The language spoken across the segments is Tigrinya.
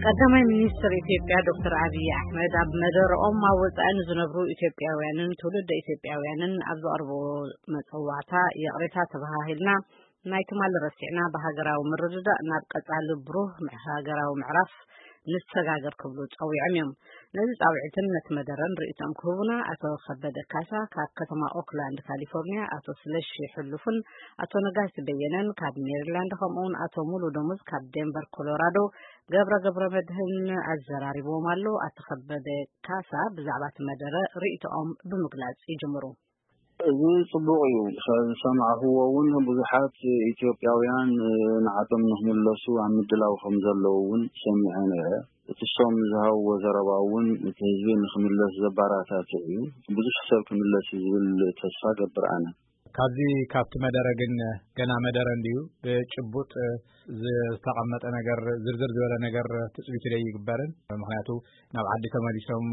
ቀዳማይ ሚኒስትር ኢትዮጵያ ዶክተር ኣብይ ኣሕመድ ኣብ መደረኦም ኣብ ወጻኢ ንዝነብሩ ኢትዮጵያውያንን ትውልደ ኢትዮጵያውያንን ኣብ ዘቕርብዎ መጸዋዕታ፣ ይቕሬታ ተበሃሂልና፣ ናይ ትማሊ ረሲዕና፣ ብሃገራዊ ምርድዳእ ናብ ቀጻሊ ብሩህ ምዕ-፣ ሃገራዊ ምዕራፍ ንሰጋገር ክብሉ ጸዊዖም እዮም። ነዚ ጻውዒትን ነቲ መደረን ርእይቶም ክህቡና፣ ኣቶ ከበደ ካሳ ካብ ከተማ ኦክላንድ ካሊፎርኒያ፣ ኣቶ ስለሺ ሕሉፍን ኣቶ ነጋሲ በየነን ካብ ሜሪላንድ፣ ከምኡውን ኣቶ ሙሉ ደሞዝ ካብ ዴንቨር ኮሎራዶ፣ ገብረ ገብረ መድህን ኣዘራሪብዎም ኣሎ። ኣቶ ከበደ ካሳ ብዛዕባ እቲ መደረ ርእይቶኦም ብምግላጽ ይጅምሩ። እዚ ጽቡቕ እዩ። ዝሰማዕኽዎ እውን ብዙሓት ኢትዮጵያውያን ንዓዶም ንኽምለሱ ኣብ ምድላው ከም ዘለዉ እውን ሰሚዐ ነይረ። እቲ እሶም ዝሃብዎ ዘረባ እውን እቲ ህዝቢ ንኽምለስ ዘባራታትዕ እዩ። ብዙሕ ሰብ ክምለስ እዩ ዝብል ተስፋ ገብር ኣነ። ካብዚ ካብቲ መደረ ግን ገና መደረ እንድዩ፣ ብጭቡጥ ዝተቐመጠ ነገር፣ ዝርዝር ዝበለ ነገር ትጽቢት ዘይግበርን። ምኽንያቱ ናብ ዓዲ ተመሊሶም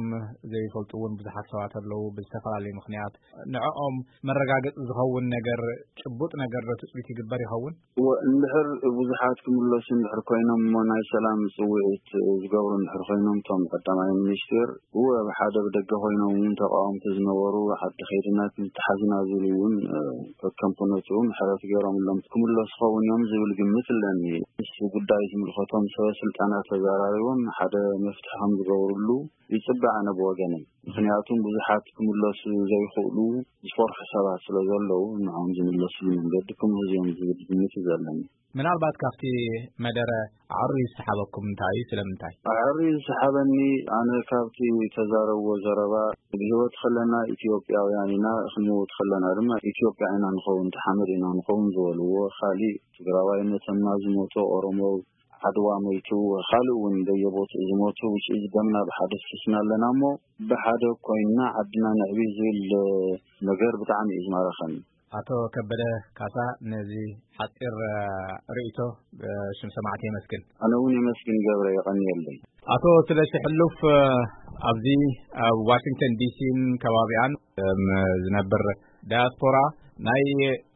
ዘይፈልጡ እውን ብዙሓት ሰባት ኣለዉ ብዝተፈላለየ ምኽንያት። ንዕኦም መረጋገጺ ዝኸውን ነገር፣ ጭቡጥ ነገር ዶ ትጽቢት ይግበር ይኸውን? እወ፣ እንድሕር ብዙሓት ክምለሱ እንድሕር ኮይኖም እሞ ናይ ሰላም ጽውዒት ዝገብሩ እንድሕር ኮይኖም እቶም ቀዳማይ ሚኒስትር፣ እወ፣ ብሓደ ብደገ ኮይኖም እውን ተቃወምቲ ዝነበሩ ዓዲ ከይድና ክንተሓዝና ዝብሉ እውን፣ እ፣ ከከም ኩነትኡ ምሕረት ገይሮምሎም ክምለሱ ኸውን እዮም ዝብል ግምት ኣለኒ። ምስ ጉዳይ ዝምልከቶም ሰበ ስልጣናት ተዘራሪቦም ሓደ መፍትሒ ከም ዝገብርሉ ይጽበ ኣነ ብወገነይ። ምኽንያቱም ብዙሓት ክምለሱ ዘይኽእሉ ዝፈርሑ ሰባት ስለ ዘለዉ፣ ንዕኦም ዝምለስሉ መንገዲ ክምህዝ እዮም ዝብል ግምት እዩ ዘለኒ። ምናልባት ካብቲ መደረ ኣዕርዩ ዝሰሓበኩም እንታይ እዩ? ስለምንታይ? ኣዕርዩ ዝሰሓበኒ፣ ኣነ ካብቲ ተዛረብዎ ዘረባ፣ ብህይወት ከለና ኢትዮጵያውያን ኢና፣ ክንሞት ከለና ድማ ኢትዮጵያ ኢና ንኸውን፣ ተሓመድ ኢና ንኸውን ዝበልዎ፣ ካሊእ ትግራዋይ መተማ ዝሞተ፣ ኦሮሞ ዓድዋ ሞይቱ፣ ካልእ እውን በየቦትኡ ዝሞቱ፣ ውጪ ደምና ብሓደ ፍስስና ኣለና እሞ፣ ብሓደ ኮይንና ዓድና ነዕቢ ዝብል ነገር ብጣዕሚ እዩ ዝማረኸኒ። ኣቶ ከበደ ካሳ፣ ነዚ ሓጺር፣ እ፣ ርእይቶ፣ እ፣ ሽም ሰማዕቲ የመስግን። ኣነ እውን የመስግን ገብረ፣ የቐንየለይ። ኣቶ ስለሺ ሕሉፍ፣ እ፣ ኣብዚ ኣብ ዋሽንግተን ዲሲን ከባቢኣን፣ እም፣ ዝነብር ዳያስፖራ፣ ናይ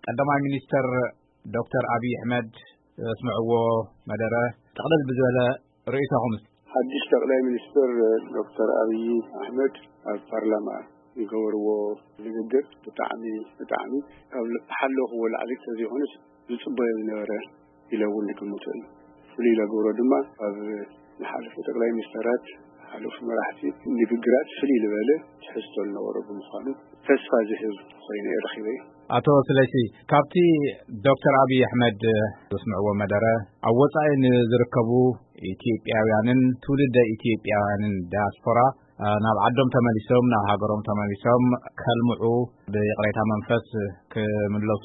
ቀዳማይ ሚኒስተር ዶክተር ኣብይ ኣሕመድ ዘስምዕዎ መደረ ጠቕለል ብዝበለ ርእይቶኹም እስኪ። ሓድሽ ጠቕላይ ሚኒስትር ዶክተር ኣብይ ኣሕመድ ኣብ ፓርላማ ዝገበርዎ ንግግር ብጣዕሚ፣ ብጣዕሚ ካብ ዝሓለኽዎ ላዕሊ እንተዘይኮነስ ዝጽበዮ ዝነበረ ኢለ እውን ዝግምቶ እዩ። ፍሉይ ዘገብሮ ድማ ኣብ ዝሓለፉ ጠቕላይ ሚኒስተራት፣ ዝሓለፉ መራሕቲ ንግግራት ፍልይ ዝበለ ትሕዝቶ ዝነበሮ ብምዃኑ ተስፋ ዝህብ ኮይኑ እየ ረኺበዮ። ኣቶ ስለሺ፣ ካብቲ ዶክተር ኣብይ ኣሕመድ ዘስምዕዎ መደረ፣ ኣብ ወጻኢ ንዝርከቡ ኢትዮጵያውያንን ትውልደ ኢትዮጵያውያንን ዳያስፖራ፣ እ፣ ናብ ዓዶም ተመሊሶም፣ ናብ ሃገሮም ተመሊሶም ከልምዑ፣ ብይቕሬታ መንፈስ ክምለሱ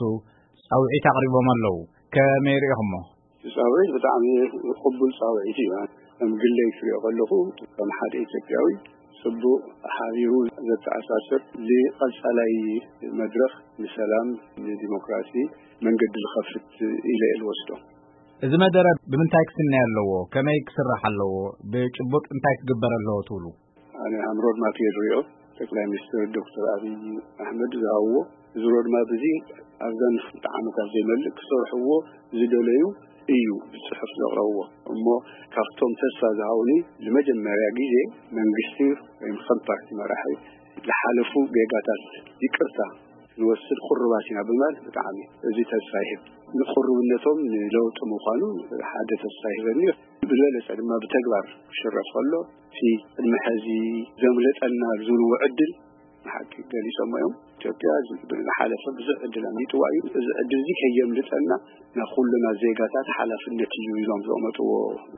ጻውዒት ኣቕሪቦም ኣለዉ። ከመይ ርኢኹሞ? እቲ ጻውዒት ብጣዕሚ ቅቡል ጻውዒት እዩ። ከም ግለይ ክሪኦ ከለኹ፣ ከም ሓደ ኢትዮጵያዊ፣ ጽቡቕ ሓቢሩ ዘተኣሳስር፣ ንቐጻላይ መድረኽ ንሰላም፣ ንዲሞክራሲ መንገዲ ዝኸፍት ኢለ እየ ዝወስዶ። እዚ መደረ ብምንታይ ክስነ ኣለዎ? ከመይ ክስራሕ ኣለዎ? ብጭቡጥ እንታይ ክግበር ኣለዎ ትብሉ? ኣነ ሃም ሮድማፕ እየ ዝሪኦ። ጠቅላይ ሚኒስትር ዶክተር ኣብይ ኣሕመድ ዝሃብዎ እዚ ሮድማፕ እዚ ኣብዘን ክልተ ዓመታት ዘይመልእ ክሰርሕዎ ዝደለዩ እዩ ብጽሑፍ ዘቕረብዎ። እሞ ካብቶም ተስፋ ዝሃቡኒ፣ ንመጀመርያ ግዜ መንግስቲ ወይም ከም ፓርቲ መራሒ ዝሓለፉ ጌጋታት ይቅርታ ንወስድ ቅሩባት ኢና ብምባል ብጣዕሚ እዚ ተስፋ ይህብ። ንቅሩብነቶም ንለውጢ ምዃኑ ሓደ ተስፋ ይህበኒ። ብዝበለጸ ድማ ብተግባር ክሽረፍ ከሎ፣ እቲ ቅድሚ ሕዚ ዘምለጠና ዝብልዎ ዕድል ንሓቂ ገሊጾሞ እዮም። ኢትዮጵያ ዝሓለፈ ብዙሕ ዕድል ኣምሊጥዋ እዩ። እዚ ዕድል እዚ ከየምልጠና ናይ ኩልና ዜጋታት ሓላፍነት እዩ ኢሎም ዘቐመጥዎ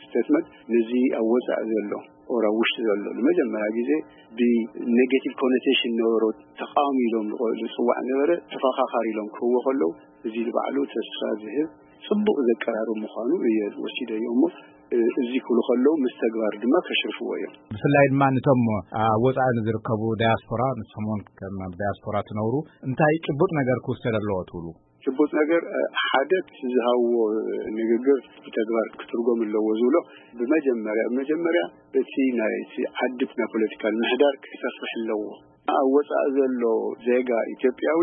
ስቴትመንት፣ ነዚ ኣብ ወጻኢ ዘሎ ኦር ኣብ ውሽጢ ዘሎ ንመጀመርያ ግዜ ብኔጌቲቭ ኮኖቴሽን ነበሮ ተቃዋሚ ኢሎም ዝቆ-፣ ዝጽዋዕ ነበረ ተፈኻኻሪ ኢሎም ክህብዎ ከለዉ፣ እዚ ንባዕሉ ተስፋ ዝህብ ጽቡቕ ዘቀራርብ ምዃኑ እየ ወሲደዮ እሞ፣ እ፣ እዚ ክብሉ ከለዉ ምስ ተግባር ድማ ከሽርፍዎ እዮም። ብፍላይ ድማ ነቶም ኣብ ወጻኢ ንዝርከቡ ዳያስፖራ፣ ንስኹም እውን ከም ኣብ ዳያስፖራ ትነብሩ፣ እንታይ ጭቡጥ ነገር ክውሰድ ኣለዎ ትብሉ? ጭቡጥ ነገር፣ እ፣ ሓደ እቲ ዝሃብዎ ንግግር ብተግባር ክትርጎም ኣለዎ ዝብሎ፣ ብመጀመርያ፣ ብመጀመርያ እቲ ናይ እቲ ዓዲ ናይ ፖለቲካል ምህዳር ክሰፍሕ ኣለዎ። ኣብ ወጻኢ ዘሎ ዜጋ ኢትዮጵያዊ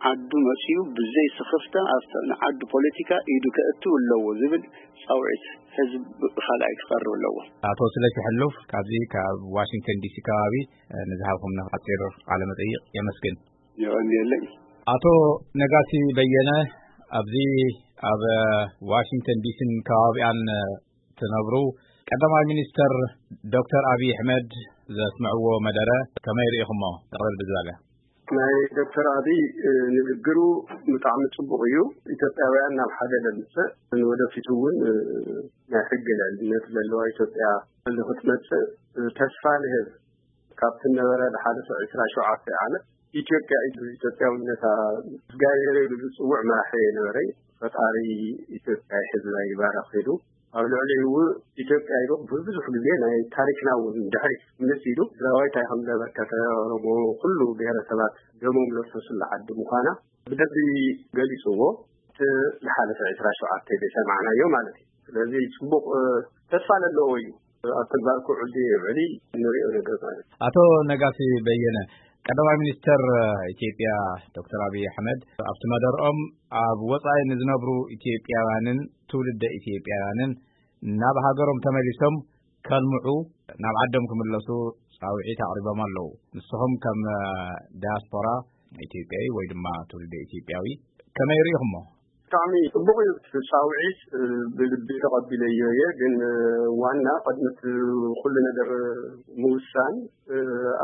ዓዱ መጺኡ ብዘይ ስኽፍታ ኣብቲ ንዓዱ ፖለቲካ ኢዱ ከእትው ኣለዎ ዝብል ጻውዒት ህዝቢ ብኻልኣይ ክቐርብ ኣለዎ። ኣቶ ስለሺ ሕሉፍ ካብዚ ካብ ዋሽንግተን ዲሲ ከባቢ፣ እ፣ ንዝሃብኩምና ሓጺር ቃለ መጠይቕ የመስግን። የቐንየለይ። ኣቶ ነጋሲ በየነ፣ ኣብዚ ኣብ ዋሽንግተን ዲሲን ከባቢኣን ትነብሩ፣ ቀዳማይ ሚኒስተር ዶክተር ኣብይ ኣሕመድ ዘስምዕዎ መደረ ከመይ ርኢኹሞ? ጥቕልል ብዝበለ። ናይ ዶክተር ኣብይ፣ እ፣ ንግግሩ ብጣዕሚ ጽቡቕ እዩ። ኢትዮጵያውያን ናብ ሓደ ለምጽእ፣ ንወደፊቱ እውን፣ እ፣ ናይ ሕጊ ልዕልነት ዘለዋ ኢትዮጵያ ንኽትመጽእ፣ እ፣ ተስፋ ንህብ። ካብቲ ነበረ ዝሓለፈ ዕስራ ሸውዓተ ዓመት ኢትዮጵያ ኢትዮጵያውነታ እግዚኣብሔር ኢሉ ዝጽውዕ መራሒ የነበረ። ፈጣሪ ኢትዮጵያ ሕዝባ ይባረኽ ኢሉ፣ ኣብ ልዕሊኡ ኢትዮጵያ ኢሉ ብዙሕ ግዜ ናይ ታሪክና እውን ድሕሪት ምስ ኢሉ ትግራዋይ እንታይ ከም ዘበርከተ፣ ኦሮሞ፣ ኩሉ ብሔረሰባት ደሞም ዘፍሰሱላ ዓዲ ምዃና ብደንቢ ገሊጽዎ። እቲ ዝሓለፈ ዕስራ ሸውዓተ ዘይሰማዕናዮ ማለት እዩ። ስለዚ ጽቡቕ፣ እ፣ ተስፋ ዘለዎ እዩ። ኣብ ተግባር ክውዕል ድዩ ይውዕል ንሪኦ ነገር ማለት እዩ። ኣቶ ነጋሲ በየነ፣ ቀዳማይ ሚኒስተር ኢትዮጵያ ዶክተር ኣብይ ኣሕመድ ኣብቲ መደርኦም ኣብ ወጻኢ ንዝነብሩ ኢትዮጵያውያንን ትውልደ ኢትዮጵያውያንን ናብ ሃገሮም ተመሊሶም ከልምዑ፣ ናብ ዓዶም ክምለሱ ጻውዒት ኣቕሪቦም ኣለዉ። ንስኹም ከም፣ እ፣ ዳያስፖራ ኢትዮጵያዊ ወይ ድማ ትውልደ ኢትዮጵያዊ ከመይ ርኢኹሞ? ብጣዕሚ ጽቡቕ እዩ እቲ ጻውዒት፣ እ፣ ብልቢ ተቐቢለዮ እየ። ግን፣ እ፣ ዋና ቅድሚ እቲ ኩሉ ነገር ምውሳን፣ እ፣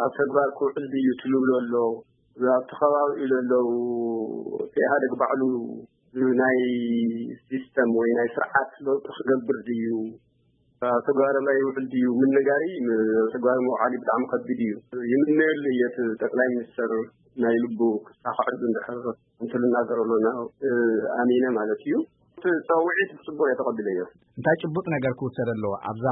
ኣብ ተግባር ክውዕል ድዩ ትልብሎ ኣሎ፣ ኣብቲ ከባቢኡ ዘለዉ እቲ ኢህኣደግ ባዕሉ ናይ ሲስተም ወይ ናይ ስርዓት ለውጢ ክገብር ድዩ፣ ኣብ ተግባር ላይ ይውዕል ድዩ ምንጋሪ፣ ም-፣ ኣብ ተግባር ምውዓል ብጣዕሚ ከቢድ እዩ። ይምነየሉ እየ እቲ ጠቅላይ ሚኒስተር ናይ ልቡ ክሳኽዐሉ እንድሕር እንተልናገረሉ ና-፣ እ፣ ኣሚነ ማለት እዩ። እቲ ጸውዒት ብጽቡቅ እየ ተቐቢለዮ። እንታይ ጭቡጥ ነገር ክውሰድ ኣለዎ? ኣብዛ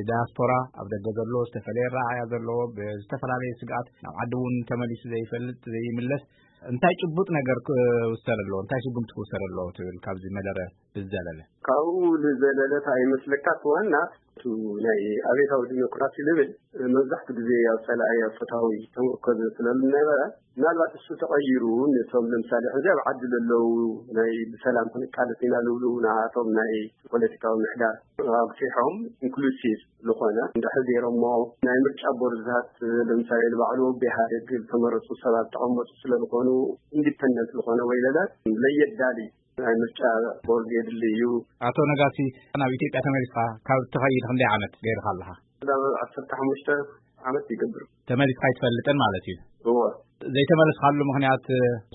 ዲያስፖራ ኣብ ደገ ዘሎ ዝተፈላለየ ረኣያ ዘለዎ ብዝተፈላለየ ስግኣት ናብ ዓዲ እውን ተመሊሱ ዘይፈልጥ ዘይምለስ እንታይ ጭቡጥ ነገር ክውሰድ ኣለዎ? እንታይ ስጉምቲ ክውሰድ ኣለዎ ትብል ካብዚ መደረ ብዝዘለለ? ካብኡ ንዘለለ እንታይ ይመስለካ? እቲ ዋና እቲ ናይ ኣቤታዊ ዲሞክራሲ ልብል መብዛሕትኡ ግዜ ኣብ ጸላኢ ኣብ ፈታዊ ተመርኮዘ ስለ ዝነበረ፣ ምናልባት እሱ ተቐይሩ ነቶም ለምሳሌ ሕዚ ኣብ ዓዲ ዘለዉ ናይ ብሰላም ክንቃለስ ኢና ዝብሉ ንኣቶም ናይ ፖለቲካዊ ምሕዳር ኣግፊሖም ኢንክሉሲቭ ዝኾነ እንድሕር ገይሮሞ ናይ ምርጫ ቦርድታት ለምሳሌ ንባዕሉ ብኢህኣደግ ዝተመረፁ ሰባት ተቐመጡ ስለ ዝኾኑ ኢንዲፐንደንት ዝኾነ ወይ ለለ ለየዳሊ ናይ ምርጫ ቦርድ የድሊ እዩ። ኣቶ ነጋሲ፣ ናብ ኢትዮጵያ ተመሊስካ ካብ ትኸይድ ክንደይ ዓመት ገይርካ ኣለኻ? ናብ ዓሰርተ ሓሙሽተ ዓመት ይገብር። ተመሊስካ ኣይትፈልጥን ማለት እዩ? እወ። ዘይተመለስካሉ ምኽንያት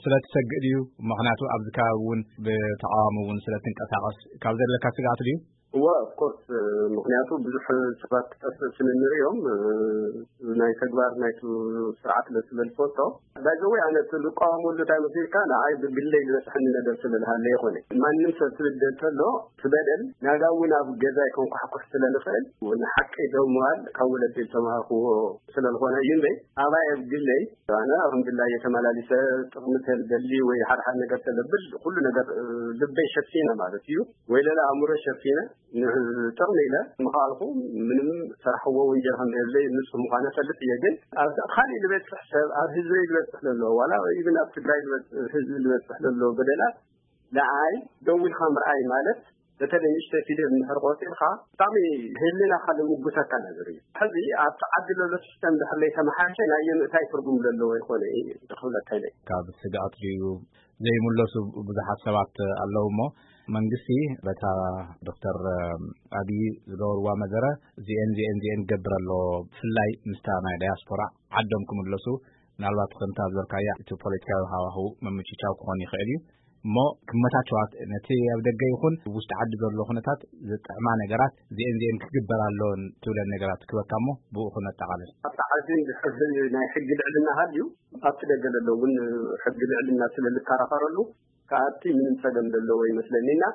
ስለ ትሰግእ ድዩ? ምኽንያቱ ኣብዚ ከባቢ እውን ብተቃዋሚ እውን ስለ ትንቀሳቐስ ካብ ዘለካ ስግኣት ድዩ? እወ፣ ኦፍኮርስ፣ ምኽንያቱ ብዙሕ ሰባት ክጠፍእ ስለ ንሪኦም፣ ናይ ተግባር ናይቱ ስርዓት ስለ ዝፈልጦ። ባይዘወይ ኣነ እቲ ዝቃወመሉ እንታይ መሲልካ፣ ንዓይ ብግለይ ዝበፅሐኒ ነገር ስለ ዝሃለ ይኾነ። ማንም ሰብ ትብደል ተሎ፣ ትበደል፣ ናጋ እውን ኣብ ገዛይ ከንኳሕኩሕ ስለ ንኽእል፣ ንሓቂ ደው ምባል ካብ ወለዲ ዝተማሃርክዎ ስለ ዝኾነ እዩ እምበይ፣ ኣባይ ኣብ ግለይ ኣነ ኣልሓምዱሊላህ እየ ተመላሊሰ፣ ጥቕሚ ተደሊ ወይ ሓደ ሓደ ነገር ተለብል፣ ኩሉ ነገር፣ እ፣ ልበይ ሸፊነ ማለት እዩ፣ ወይ ለለ ኣእምሮ ሸፊነ፣ ን-፣ ጥቕሚ ኢለ ምኸኣልኩ፣ ምንም ሰራሕዎ ወንጀል ከም ዘየብለይ ንጹህ ምዃነ ፈልጥ እየ። ግን ኣብ ካልእ ዝበጽሕ ሰብ፣ ኣብ ህዝበይ ዝበጽሕ ዘሎ፣ ዋላ ኢቭን ኣብ ትግራይ ዝበጽ-፣ ህዝቢ ዝበጽሕ ዘሎ በደላት ንዓይ ደው ኢልካ ምርኣይ ማለት፣ በተለይ ንእሽተይ ፊደል እንድሕር ቆጺርካ፣ ብጣዕሚ ህልናኻ ልምጉተካ ነገር እዩ። ሕዚ ኣብቲ ዓዲ ዘሎ ሲስተም እንድሕር ለይተመሓየሸ ናይ የምእታይ ትርጉም ዘለዎ ይኾነ እዩ ክብለካ ኢለ። ካብ ስግኣት ድዩ ዘይምለሱ ብዙሓት ሰባት ኣለዉ እሞ፣ መንግስቲ በታ ዶክተር ኣብይ ዝገበርዋ መደረ እዚኤን፣ እዚኤን፣ እዚኤን ክገብር ኣለዎ፣ ብፍላይ ምስታ ናይ ዳያስፖራ ዓዶም ክምለሱ፣ ምናልባት ከምታ ዝበልካያ እቲ ፖለቲካዊ ሃዋህው ምምችቻው ክኾን ይኽእል እዩ። እሞ ክመቻቸዋት ነቲ ኣብ ደገ ይኹን ውሽጢ ዓዲ ዘሎ ኩነታት ዝጥዕማ ነገራት እዚኤን እዚኤን ክግበር ኣለዎን ትብለን ነገራት ክበካ እሞ ብኡ ክነጠቓልል። ኣብቲ ዓዲ ናይ ሕጊ ልዕልና ሃልዩ ኣብቲ ደገ ዘሎ እውን ሕጊ ልዕልና ስለ ዝከራኸረሉ ከኣቲ ምንም ጸገም ዘለዎ ይመስለኒ። እና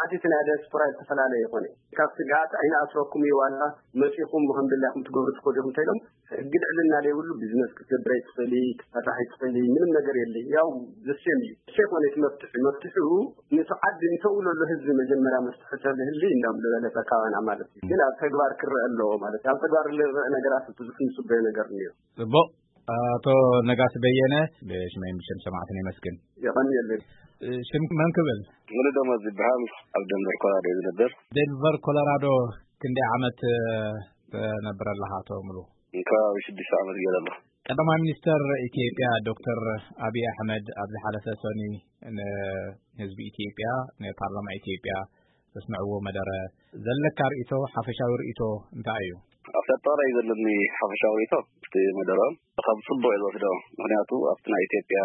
እቲ ናይ ዲያስፖራ ዝተፈላለየ ይኾነ። ካብ ስግኣት ኣይንኣስረኩም እዩ፣ ዋላ መጺኹም ከም ድላይኩም ትገብሩ ትኸዱ ኢኹም እንተኢሎም፣ ሕጊ ልዕልና ዘይብሉ ቢዝነስ ክትገብር ኣይትኽእሊ፣ ክትሰርሕ ኣይትኽእሊ፣ ምንም ነገር የለይ። ያው ዘሴም እዩ። እሱ ይኾነ እቲ መፍትሒ። መፍትሒኡ ንሱ ዓዲ ንሰው ለሎ ህዝቢ መጀመርያ መፍትሒ ተዝህሊ እንዳም ዝበለጸ ካባና ማለት እዩ። ግን ኣብ ተግባር ክረአ ኣለዎ ማለት እዩ። ኣብ ተግባር ዝረአ ነገራት ብዙሕ ንጽበዮ ነገር እኒኦ። ጽቡቕ። ኣቶ ነጋሲ በየነ፣ ብሽመይን ብሽም ሰማዕትን የመስግን። የቐንየለይ። ሽም መን ክብል? ሙሉደመወዝ ዝበሃል፣ ኣብ ደንቨር ኮሎራዶ ዝነብር። ደንቨር ኮሎራዶ ክንደይ ዓመት ትነብር ኣለኻ ኣቶ ሙሉ? ከባቢ ሽዱሽተ ዓመት ገይረ ኣለኹ። ቀዳማይ ሚኒስተር ኢትዮጵያ ዶክተር ኣብይ ኣሕመድ ኣብ ዝሓለፈ ሰኒ ንህዝቢ ኢትዮጵያ፣ ንፓርላማ ኢትዮጵያ ዘስምዕዎ መደረ፣ ዘለካ ርእይቶ፣ ሓፈሻዊ ርእይቶ እንታይ እዩ? ኣብ ኣጠቓላይ ዘለኒ ሓፈሻዊ ርእይቶ፣ እቲ መደረኦም ከም ጽቡቕ እየ ዝወስዶ። ምኽንያቱ ኣብቲ ናይ ኢትዮጵያ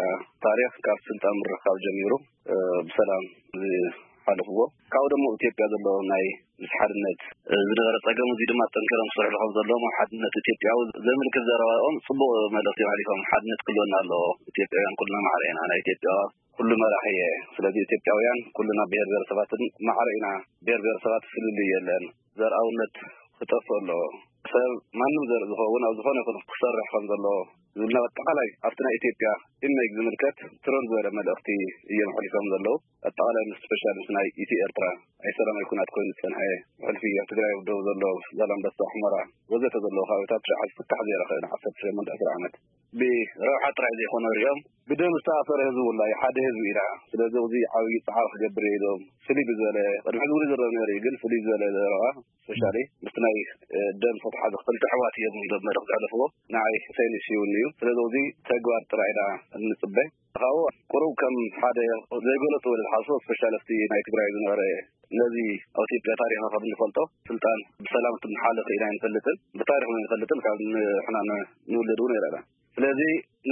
ታሪኽ ካብ ስልጣን ምርኻብ ጀሚሩ፣ እ፣ ብሰላም ዝሓለፍዎ፣ ካብኡ ደሞ ኢትዮጵያ ዘሎ ናይ ምስ ሓድነት፣ እ፣ ዝነበረ ጸገም፣ እዚ ድማ ጠንኪሮም ክሰርሕሉ ከም ዘለዎም፣ ኣብ ሓድነት ኢትዮጵያዊ ዘምልክት ዘረባኦም ጽቡቕ መልእኽቲ ኣሕሊፎም። ሓድነት ክህልወና ኣለዎ። ኢትዮጵያውያን ኩልና ማዕረ ኢና። ናይ ኢትዮጵያ ኩሉ መራሒ እየ። ስለዚ ኢትዮጵያውያን ኩልና ብሄር ብሄረሰባትን ማዕረ ኢና። ብሄር ብሄረሰባት ፍልልይ የለን። ዘርኣውነት ክጠፍእ ኣለዎ። ሰብ ማንም ዘርኢ ዝኸውን ኣብ ዝኾነ ይኹን ክሰርሕ ከም ዘለዎ ዝብልና ኣጠቓላይ ኣብቲ ናይ ኢትዮጵያ ኢሜጅ ዝምልከት ትረር ዝበለ መልእኽቲ እዮም ኣሕሊፎም ዘለዉ። ኣጠቓላይ ምስ ስፔሻል ምስ ናይ ኢትዮ ኤርትራ ኣይሰላማዊ ኩናት ኮይኑ ዝጸንሐ፣ ብሕልፊ ኣብ ትግራይ ደው ዘሎ ዛላምበሳ፣ ሑመራ ወዘተ ዘለዉ ከባቢታት ሽዓ ዝፍታሕ ዘይረኸበ ንዓሰርተ ሸሞንተ ዓሰርተ ዓመት ብረብሓ ጥራይ ዘይኮነ ሪኦም ብደም ዝተኣሰረ ህዝቢ ውላ እዩ። ሓደ ህዝቢ ኢና። ስለዚ እዚ ዓብዪ ጻዕሪ ክገብር እየ ኢሎም ፍልይ ብዝበለ፣ ቅድሚ ሕዚ እውን ይዝረብ ነይሩ እዩ፣ ግን ፍልይ ዝበለ ዘረባ ስፔሻሊ ምስቲ ናይ፣ እ፣ ደም ዝተተሓዘ ክልተ ኣሕዋት እዮም ኢሎም መልእኽቲ ዘሕለፍዎ። ንዓይ ሴንስ ይውን እዩ። ስለዚ እዚ ተግባር ጥራይ ኢና እንጽበ። ካብኡ ቁሩብ ከም ሓደ ዘይገለጹ ወደ ዝሓስቦ ስፔሻል ኣብቲ ናይ ትግራይ ዝነበረ ነዚ ኣብ ኢትዮጵያ ታሪኽና ከም እንፈልጦ ስልጣን ብሰላም ክትመሓለፍ ኢና ኣይንፈልጥን፣ ብታሪኽ እውን ኣይንፈልጥን፣ ካብ ንሕና ን-፣ ንውለድ እውን ኣይረኣና። ስለዚ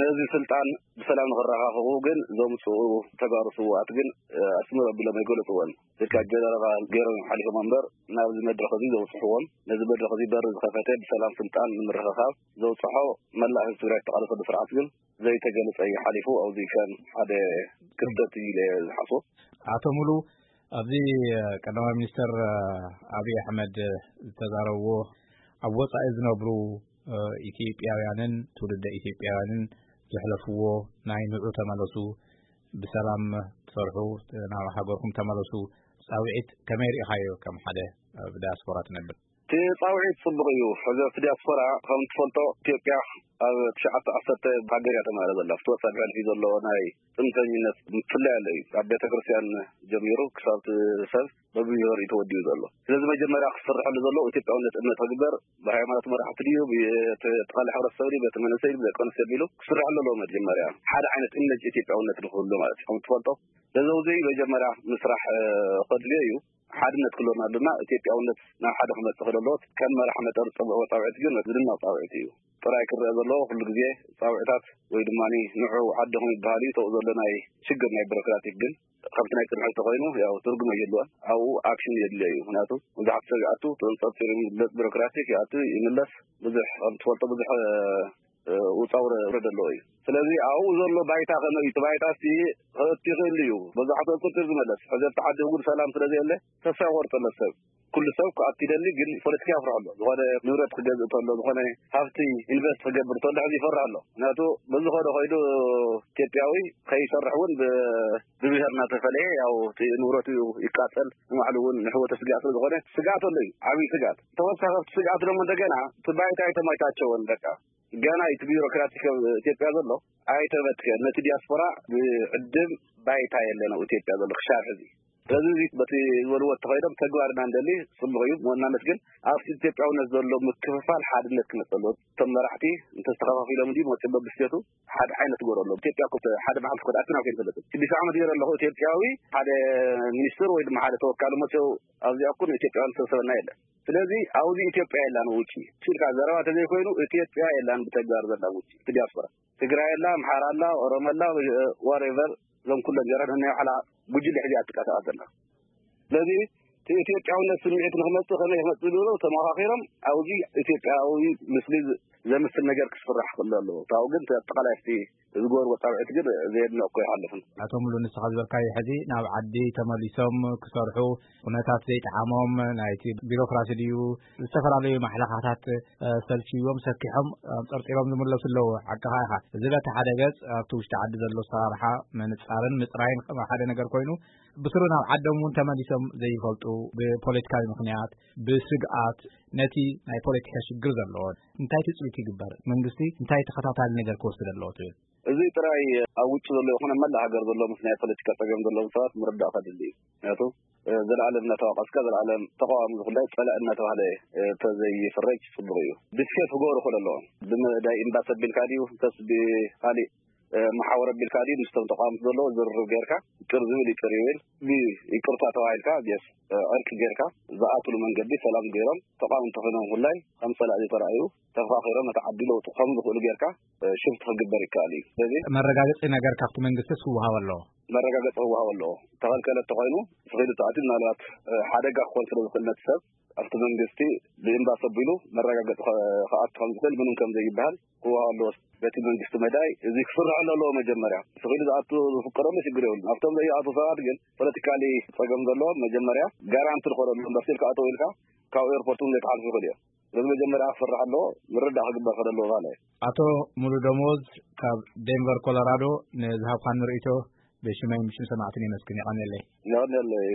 ነዚ ስልጣን ብሰላም ንኽረኻኽቡ ግን ዘምጽኡ ተጋሩ ስውኣት ግን፣ እ፣ ኣስምር ኣቢሎም ኣይገለጽዎን። ብቃ ጀነራል ገይሮም ሓሊፎም እምበር ናብዚ መድረኽ እዚ ዘውጽሕዎም፣ ነዚ መድረኽ እዚ በሪ ዝኸፈተ ብሰላም ስልጣን ንምርኽኻብ ዘውጽሖ መላእ ህዝቢ ትግራይ ዝተቓለሰሉ ስርዓት ግን ዘይተገለጸ እዩ ሓሊፉ። ኣብዚ ከም ሓደ ክፍተት እዩ ኢለ ዝሓስቦ። ኣቶ ሙሉ፣ ኣብዚ ቀዳማይ ሚኒስተር ኣብይ ኣሕመድ ዝተዛረብዎ፣ ኣብ ወጻኢ ዝነብሩ ኢትዮጵያውያንን ትውልደ ኢትዮጵያውያንን ዘሕለፍዎ ናይ ንዑ ተመለሱ፣ ብሰላም ትሰርሑ፣ ናብ ሃገርኩም ተመለሱ ጻውዒት ከመይ ርኢኻዮ ከም ሓደ ኣብ ዲያስፖራ ትነብር? እቲ ጻውዒት ጽቡቕ እዩ። ሕዚ ኣብቲ ዲያስፖራ ከም ትፈልጦ ኢትዮጵያ ኣብ ትሽዓተ ዓሰርተ ሃገር እያ ተማህረ ዘላ። ኣብቲ ወጻኢ ብሕልፊ ዘሎ ናይ ጽንፈኝነት ምፍላይ ኣሎ እዩ። ካብ ቤተ ክርስቲያን ጀሚሩ ክሳብ እቲ ሰብ በብብሄሩ እዩ ተወዲኡ ዘሎ። ስለዚ መጀመርያ ክስርሐሉ ዘለዎ ኢትዮጵያውነት እምነት ክግበር፣ ብሃይማኖት መራሕቲ ድዩ፣ ብተቓላሊ ሕብረተሰብ ድዩ፣ ቤተ መንእሰይ ድዩ፣ ደቂ ኣንስትዮ ቢሉ ክስርሐሉ ኣለዎ። መጀመርያ ሓደ ዓይነት እምነት ኢትዮጵያውነት ንክህሉ ማለት እዩ። ከም ትፈልጦ ስለዚ እዚ መጀመርያ ምስራሕ፣ እ፣ ከድልዮ እዩ። ሓድነት ክህልወና ድማ ኢትዮጵያውነት ናብ ሓደ ክመጽእ ክለዎ ከም መራሕ መጠን ጽቡቕ ጻውዒት ግን ዝድነቕ ጻውዒት እዩ። ጥራይ ክረአ ዘለዎ ኩሉ ግዜ ጻውዒታት ወይ ድማ ንዑ ዓድኹም ይበሃል እዩ። ተው ዘሎ ናይ ሽግር ናይ ቢሮክራቲክ ግን ከምቲ ናይ ቅድሚ ሕጂ ተኮይኑ ያው ትርጉም የድልዮን ኣብኡ ኣክሽን የድልዮ እዩ። ምክንያቱ ብዙሓት ሰብ ይኣቱ ተንጸርጺሩ ይምለስ፣ ቢሮክራቲክ ይኣቱ ይምለስ፣ ብዙሕ ከም ትፈልጦ ብዙሕ፣ እ፣ ውጻ ውረድ ኣለዎ እዩ። ስለዚ ኣብኡ ዘሎ ባይታ ከመይ እዩ? እቲ ባይታ እስቲ ክእቲ ይኽእል እዩ። በዛሕትኡ ቁጥር ዝመለስ ሕዚ ኣብቲ ዓዲ እውን ሰላም ስለ ዘየለ ተስፋ ይቆርጥ ኣሎ ሰብ። ኩሉ ሰብ ክኣቱ ይደሊ፣ ግን ፖለቲካ ይፍርሕ ኣሎ። ዝኾነ ንብረት ክገዝእ ተሎ፣ ዝኾነ ሃብቲ ኢንቨስት ክገብር ተሎ ሕዚ ይፈርሕ ኣሎ። ምክንያቱ በዚ ኸዶ ኸይዱ ኢትዮጵያዊ ከይሰርሕ እውን ብ-፣ ብብሄር እናተፈለየ ያው እቲ ንብረቱ ይቃጸል፣ ንባዕሉ እውን ንሕወተ ስጋእ ስለ ዝኾነ ስጋት ኣሎ እዩ፣ ዓብዪ ስጋት። ተወሳኺ ኣብቲ ስጋት ደግሞ እንደገና እቲ ባይታ ኣይተመቻቸወን። በቃ ገና እቲ ቢሮክራሲ ከም ኢትዮጵያ ዘሎ ኣይተበትከን። ነቲ ዲያስፖራ ብዕድም ባይታ የለን ኣብ ኢትዮጵያ ዘሎ ክሻብ ሕዚ። ስለዚ እዚ በቲ ዝበልዎ ተኸይዶም ተግባር ኢና ንደሊ፣ ጽቡቕ እዩ። መወናነት ግን ኣብቲ ኢትዮጵያውነት ዘሎ ምክፍፋል ሓድነት ክመጽእ ኣለዎ። እቶም መራሕቲ እንተስተኻኻፊሎም እንዲ መጽእ በብስቴቱ ሓደ ዓይነት ግበሩ ኣለዎ። ኢትዮጵያ እኮ ሓደ መዓልቲ እኮ ኣትና ከይንፈልጥ። ሽዱሽተ ዓመት ገይረ ኣለኹ ኢትዮጵያዊ ሓደ ሚኒስትር ወይ ድማ ሓደ ተወካሊ መጽኡ ኣብዚኣ እኮ ንኢትዮጵያውያን ዝተሰበና የለን። ስለዚ ኣብዚ ኢትዮጵያ የላን ውጪ። ሲልካ ዘረባ ተዘይኮይኑ ኢትዮጵያ የላን ብተግባር ዘላ ውጪ። እቲ ዲያስፖራ ትግራይ ኣላ፣ ኣምሓራ ኣላ፣ ኦሮሞ ኣላ፣ ዋሬቨር እዞም ኩሎም ጀራን ናይ ባዕላ ጉጅለ ሕዚኣ ትቃሳቐስ ዘላ። ስለዚ እቲ ኢትዮጵያውነት ስምዒት ንክመጽእ ከመይ ክመጽእ ዝብሎ ተመኻኺሮም ኣብዚ ኢትዮጵያዊ ምስሊ ዝ-፣ ዘምስል ነገር ክስራሕ ክሎ ኣለዎ። ካብኡ ግን እቲ ኣጠቓላይ እቲ ዝገበርዎ ጻውዒት ግን ዘየድንቕ እኮ ይሓልፍን። ኣቶ ሙሉ ንስኻ ዝበልካዮ ሕዚ ናብ ዓዲ ተመሊሶም ክሰርሑ ኩነታት ዘይጠዓሞም ናይቲ ቢሮክራሲ ድዩ ዝተፈላለዩ ማሕለኻታት፣ እ፣ ሰልችዎም ሰኪሖም ኣንጠርጢሮም ዝምለሱ ኣለዉ። ሓቅኻ ኢኻ። እዚ በቲ ሓደ ገጽ ኣብቲ ውሽጢ ዓዲ ዘሎ ኣሰራርሓ ምንጻርን ምጽራይን ከም ሓደ ነገር ኮይኑ ብስሩ ናብ ዓዶም እውን ተመሊሶም ዘይፈልጡ፣ ብፖለቲካዊ ምኽንያት፣ ብስግኣት፣ ነቲ ናይ ፖለቲካ ሽግር ዘለዎ እንታይ ትጽቢት ይግበር? መንግስቲ እንታይ ተኸታታሊ ነገር ክወስድ ኣለዎ ትብል? እዚ ጥራይ ኣብ ውጭ ዘሎ ይኹን ኣብ መላእ ሃገር ዘሎ ምስ ናይ ፖለቲካ ጸገም ዘለዎም ሰባት ምርዳእ ከድሊ እዩ። ምክንያቱ፣ እ፣ ዘላለም እናተዋቀስካ ዘላለም ተቃዋሚ ዝኹላይ ጸላእ እናተባህለ፣ እ፣ ተዘይፍረጅ ጽቡቅ እዩ። ድስከስ ክገብሩ ክእል ኣለዎም። ብመዳይ ኤምባሲ ኣቢልካ ድዩ፣ እንተስ ብካሊእ፣ እ፣ መሓወር ኣቢልካ ድዩ፣ ምስቶም ተቃዋምቲ ዘለዎ ዝርርብ ጌርካ፣ ይቅር ዝብል ይቅር ይብል፣ ብይቅርታ ተባሂልካ፣ ጌስ፣ እ፣ ዕርቂ ጌርካ፣ ዝኣትሉ መንገዲ ሰላም ጌሮም፣ ተቃዋምቲ ኮይኖም ኩላይ ከም ጸላእ ዘይተራእዩ፣ ተፋኺሮም ነቲ ዓዲ ለውጡ ከም ዝኽእሉ ጌርካ፣ እ፣ ሽፍት ክግበር ይከኣል እዩ። ስለዚ መረጋገጺ ነገር ካብቲ መንግስቲ ክወሃብ ኣለዎ። መረጋገጺ ክወሃብ ኣለዎ። ተኸልከለ እንተኾይኑ፣ ስኺሉ ተኣትዩ ምናልባት፣ እ፣ ሓደጋ ክኾን ስለ ዝኽእል ነቲ ሰብ፣ ኣብቲ መንግስቲ ብኤምባሲ ኣቢሉ መረጋገጺ ከ-፣ ክኣቱ ከም ዝኽእል ምንም ከም ዘይበሃል ክወሃብ ኣለዎ። በቲ መንግስቲ መዳይ እዚ ክስርሐሉ ኣለዎ። መጀመርያ ስኺሉ ዝኣቱ ዝፍቀደሉ ሽግር የብሉን። ኣብቶም ዘይኣቱ ሰባት ግን ፖለቲካሊ ጸገም ዘለዎም መጀመርያ ጋራንቲ ዝኾነሉ ኤምባሲ ክኣተው ኢልካ ካብ ኤርፖርት እውን ዘይክሓልፉ ይኽእሉ እዮም። ስለዚ መጀመርያ ክስራሕ ኣለዎ፣ ምርዳእ ክግበር ከሎ ኣለዎ ማለት እዩ። ኣቶ ሙሉ ደሞዝ ካብ ዴንቨር ኮሎራዶ ንዝሃብካኒ ርእይቶ ብሽመይ ምሽን ሰማዕትን የመስግን። የቐንየለይ። የቐንየለይ።